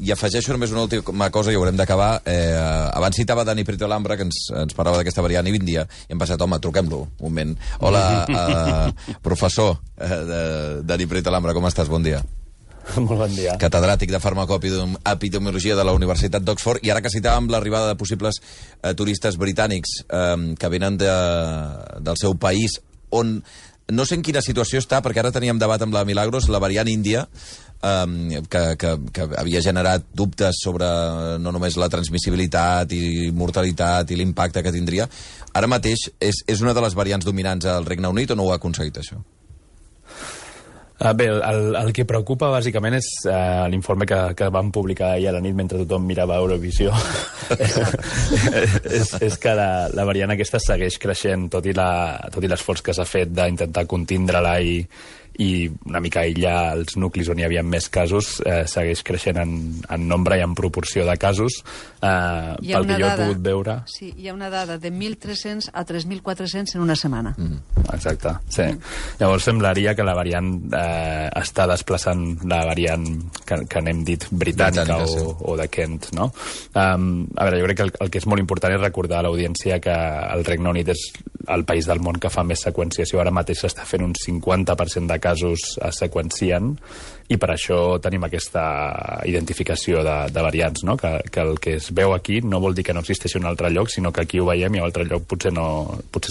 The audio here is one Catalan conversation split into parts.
I afegeixo només una última cosa i haurem d'acabar. Abans citava Dani Prieto Lambra, que ens parlava d'aquesta variant índia, i hem passat, home, truquem-lo un moment. Hola, professor Dani Prieto Lambra, com estàs? Bon dia. Molt bon dia. Catedràtic de farmacoepidemiologia de la Universitat d'Oxford, i ara que citàvem l'arribada de possibles turistes britànics que venen del seu país, on no sé en quina situació està, perquè ara teníem debat amb la Milagros, la variant índia, que havia generat dubtes sobre no només la transmissibilitat i mortalitat i l'impacte que tindria. Ara mateix és una de les variants dominants al Regne Unit o no ho ha aconseguit, això? Bé, el que preocupa bàsicament és l'informe que vam publicar ahir a la nit mentre tothom mirava Eurovisió. és que la variant aquesta segueix creixent, tot i l'esforç que s'ha fet d'intentar contindre-la i una mica aïllar els nuclis on hi havia més casos, segueix creixent en nombre i en proporció de casos. Pel que jo he pogut veure... Sí, hi ha una dada de 1.300 a 3.400 en una setmana. Exacte, sí. Llavors semblaria que la variant està desplaçant la variant que n'hem dit britànica o de Kent, no? A veure, jo crec que el que és molt important és recordar a l'audiència que el Regne Unit és el país del món que fa més seqüenciació. Ara mateix s'està fent un 50% de casos es seqüencien, i per això tenim aquesta identificació de variants, no? Que el que es veu aquí no vol dir que no existeixi un altre lloc, sinó que aquí ho veiem i a un altre lloc potser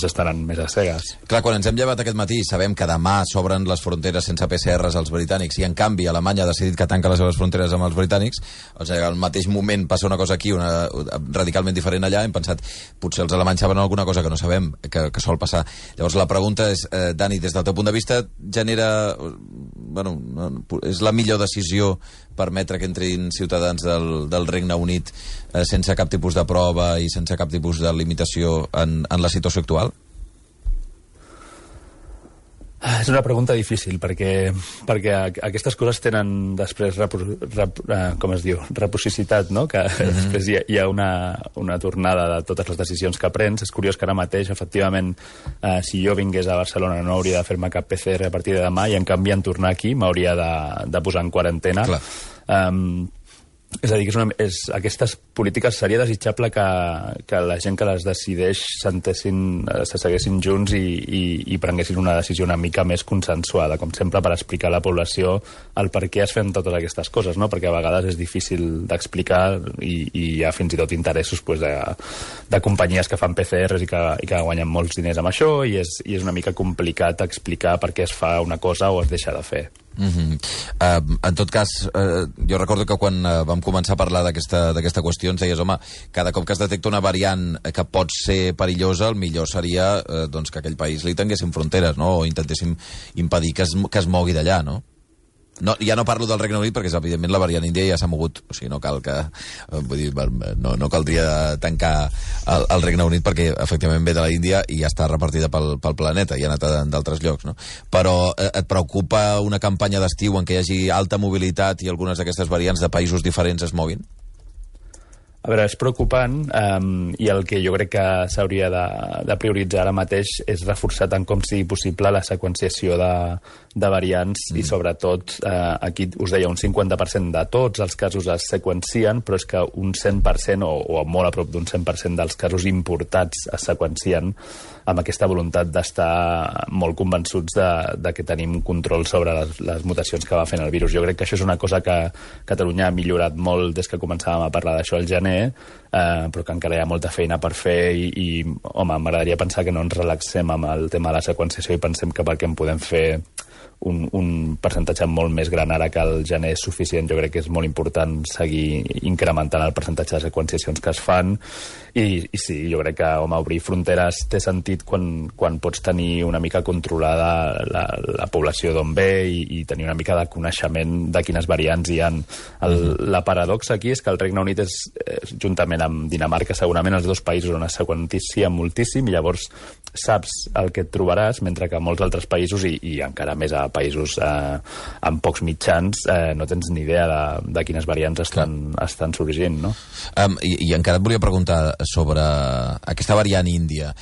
s'estaran més a cegues. Clar, quan ens hem llevat aquest matí sabem que demà s'obren les fronteres sense PCRs als britànics, i en canvi Alemanya ha decidit que tanca les seves fronteres amb els britànics, o sigui, al mateix moment passa una cosa aquí, una radicalment diferent allà, hem pensat, potser els alemanys saben alguna cosa que no sabem, que sol passar. Llavors la pregunta és, Dani, des del teu punt de vista, genera... Bueno, és la millor decisió permetre que entrin ciutadans del Regne Unit sense cap tipus de prova i sense cap tipus de limitació en la situació actual? És una pregunta difícil, perquè aquestes coses tenen després com es diu, reposicitat, no? Que després hi ha una tornada de totes les decisions que prens. És curiós que ara mateix, efectivament, si jo vingués a Barcelona no hauria de fer-me cap PCR a partir de demà, i en canvi en tornar aquí m'hauria de posar en quarantena. Clar. És a dir, que aquestes polítiques seria desitjable que la gent que les decideix se seguessin junts i prenguessin una decisió una mica més consensuada, com sempre, per explicar a la població el per què es fan totes aquestes coses, no? Perquè a vegades és difícil d'explicar i hi ha fins i tot interessos de companyies que fan PCRs i que guanyen molts diners amb això, i és una mica complicat explicar per què es fa una cosa o es deixa de fer. En tot cas, jo recordo que quan vam començar a parlar d'aquesta qüestió ens deies, home, cada cop que es detecta una variant que pot ser perillosa, el millor seria doncs, que aquell país li tanguessin fronteres, no? O intentéssim impedir que es mogui d'allà, no? No, ja no parlo del Regne Unit perquè, evidentment, la variant índia ja s'ha mogut. O sigui, no cal que... Vull dir, no caldria tancar el Regne Unit perquè, efectivament, ve de la Índia i ja està repartida pel planeta i ha anat d'altres llocs, no? Però et preocupa una campanya d'estiu en què hi hagi alta mobilitat i algunes d'aquestes variants de països diferents es moguin? A veure, és preocupant, i el que jo crec que s'hauria de prioritzar ara mateix és reforçar tant com sigui possible la seqüenciació de variants i, sobretot, aquí us deia, un 50% de tots els casos es seqüencien, però és que un 100% o molt a prop d'un 100% dels casos importats es seqüencien, amb aquesta voluntat d'estar molt convençuts de que tenim control sobre les mutacions que va fent el virus. Jo crec que això és una cosa que Catalunya ha millorat molt des que començàvem a parlar d'això al gener, però que encara hi ha molta feina per fer i home, m'agradaria pensar que no ens relaxem amb el tema de la seqüenciació i pensem que perquè en podem fer un percentatge molt més gran ara que el gener és suficient. Jo crec que és molt important seguir incrementant el percentatge de seqüenciacions que es fan i sí, jo crec que obrir fronteres té sentit quan pots tenir una mica controlada la població d'on ve i tenir una mica de coneixement de quines variants hi ha. La paradoxa aquí és que el Regne Unit és, juntament amb Dinamarca, segurament els dos països on es seqüencia moltíssim i llavors saps el que et trobaràs, mentre que molts altres països, i encara més a països amb pocs mitjans, no tens ni idea de quines variants estan sorgint, no? I encara et volia preguntar sobre aquesta variant índia.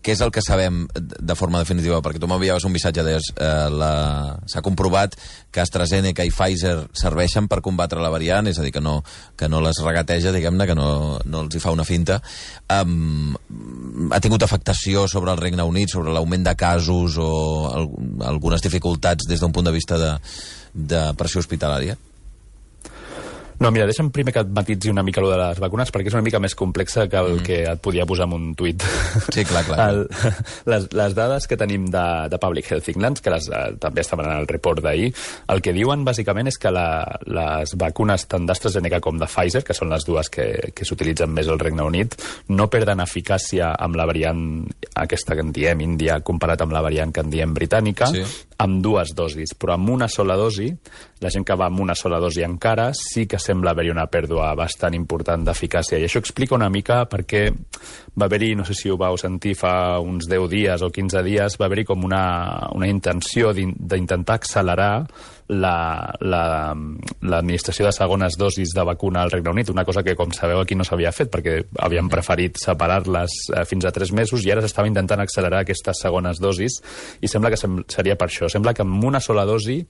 què és el que sabem de forma definitiva? Perquè tu m'enviaves un missatge, deies, s'ha comprovat que AstraZeneca i Pfizer serveixen per combatre la variant, és a dir, que no les regateja, diguem-ne, que no els hi fa una finta. Ha tingut afectació sobre el Regne Unit, sobre l'augment de casos o algunes dificultats des d'un punt de vista de pressió hospitalària? No, mira, deixa'm primer que et matitzi una mica allò de les vacunes, perquè és una mica més complexa que el que et podia posar en un tuit. Sí, clar. Les dades que tenim de Public Health England, que també estaven en el report d'ahir, el que diuen bàsicament és que les vacunes tant d'AstraZeneca com de Pfizer, que són les dues que s'utilitzen més al Regne Unit, no perden eficàcia amb la variant aquesta que en diem índia comparat amb la variant que en diem britànica, sí, amb 2 dosis, però amb una sola dosi, la gent que va amb una sola dosi encara, sí que sembla haver-hi una pèrdua bastant important d'eficàcia. I això explica una mica perquè va haver-hi, no sé si ho vau sentir fa uns 10 dies o 15 dies, va haver-hi com una intenció d'intentar accelerar l'administració de segones dosis de vacuna al Regne Unit, una cosa que, com sabeu, aquí no s'havia fet, perquè havien preferit separar-les fins a 3 mesos i ara s'estava intentant accelerar aquestes segones dosis i sembla que seria per això. Sembla que amb una sola dosi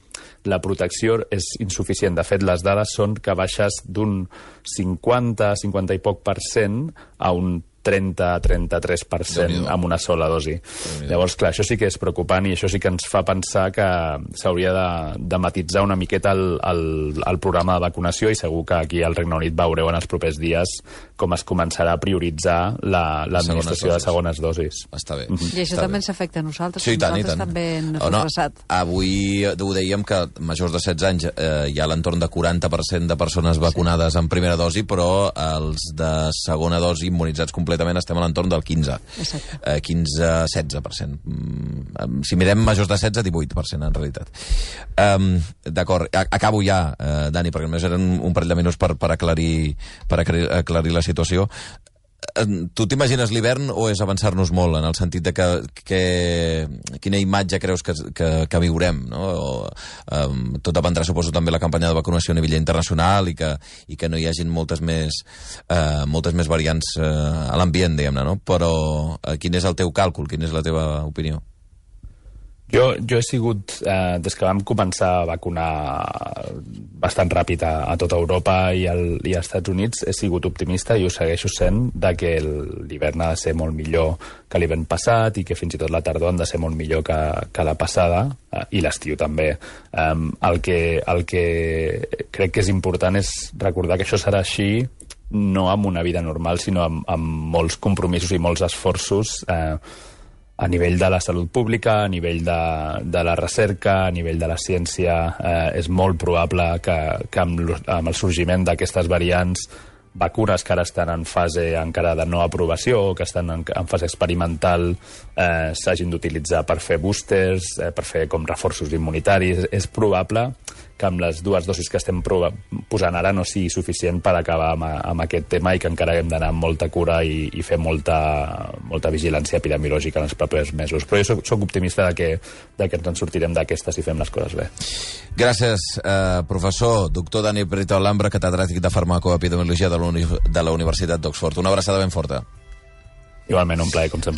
la protecció és insuficient. De fet, les dades són que baixes d'un 50 i poc % a un 30-33% amb una sola dosi. Llavors, clar, això sí que és preocupant i això sí que ens fa pensar que s'hauria de matitzar una miqueta el programa de vacunació i segur que aquí al Regne Unit veureu en els propers dies com es començarà a prioritzar l'administració de segones dosis. Està bé. I això també ens afecta a nosaltres. Sí, tant. També hem retrasat. Avui ho dèiem que majors de 16 anys hi ha l'entorn de 40% de persones vacunades en primera dosi, però els de segona dosi immunitzats completament estem a l'entorn del 15-16%. Si mirem majors de 16, 18%, en realitat. D'acord, acabo ja, Dani, perquè només eren un parell de minuts per aclarir la situació. Tu t'imagines l'hivern o és avançar-nos molt, en el sentit de que quina imatge creus que viurem, no? Tot dependrà, suposo, també la campanya de vacunació a nivell internacional i que no hi hagin moltes més variants a l'ambient, diguem-ne, no? Però quin és el teu càlcul, quina és la teva opinió? Jo he sigut, des que vam començar a vacunar bastant ràpid a tota Europa i als Estats Units, he sigut optimista i ho segueixo sent de que l'hivern ha de ser molt millor que l'hivern passat i que fins i tot la tardor han de ser molt millor que la passada i l'estiu també. El que crec que és important és recordar que això serà així no amb una vida normal, sinó amb molts compromisos i molts esforços a nivell de la salut pública, a nivell de la recerca, a nivell de la ciència. És molt probable que amb el sorgiment d'aquestes variants, vacunes que ara estan en fase encara de no aprovació o que estan en fase experimental s'hagin d'utilitzar per fer boosters, per fer com reforços immunitaris. És probable que amb les 2 dosis que estem posant ara no sigui suficient per acabar amb aquest tema i que encara hem d'anar amb molta cura i fer molta vigilància epidemiològica en els propers mesos. Però jo soc optimista de que ens en sortirem d'aquestes si fem les coses bé. Gràcies, professor, doctor Dani Prieto Alhambra, catedràtic de farmacoepidemiologia de la Universitat d'Oxford. Una abraçada ben forta. Igualment, un plaer, com sempre.